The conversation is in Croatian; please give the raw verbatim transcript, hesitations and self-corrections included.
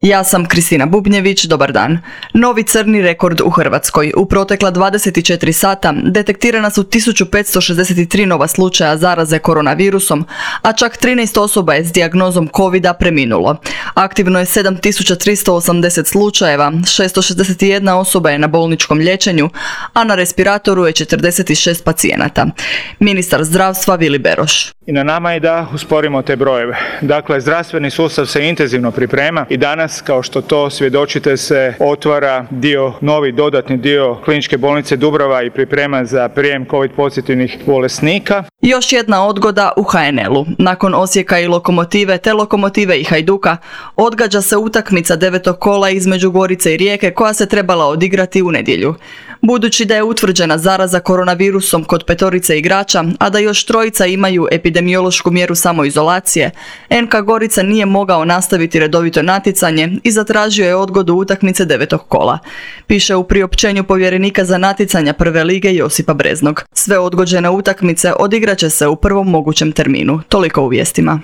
Ja sam Kristina Bubnjević, dobar dan. Novi crni rekord u Hrvatskoj. U protekla dvadeset četiri sata detektirana su tisuću petsto šezdeset tri nova slučaja zaraze koronavirusom, a čak trinaest osoba je s dijagnozom covida preminulo. Aktivno je sedam tisuća tristo osamdeset slučajeva, šesto šezdeset jedna osoba je na bolničkom liječenju, a na respiratoru je četrdeset šest pacijenata. Ministar zdravstva Vili Beroš. I na nama je da usporimo te brojeve. Dakle, zdravstveni sustav se intenzivno priprema i danas, kao što to svjedočite, se otvara dio, novi dodatni dio Kliničke bolnice Dubrava i priprema za prijem covid pozitivnih bolesnika. Još jedna odgoda u ha en el-u. Nakon Osijeka i Lokomotive te Lokomotive i Hajduka odgađa se utakmica devetog kola između Gorice i Rijeke koja se trebala odigrati u nedjelju. Budući da je utvrđena zaraza koronavirusom kod petorice igrača, a da još trojica imaju epidemiološku mjeru samoizolacije, en ka Gorica nije mogao nastaviti redovito natjecanje i zatražio je odgodu utakmice devetog kola. Piše u priopćenju povjerenika za natjecanja prve lige Josipa Breznog. Sve odgođene utakmice odigraće se u prvom mogućem terminu. Toliko u vijestima.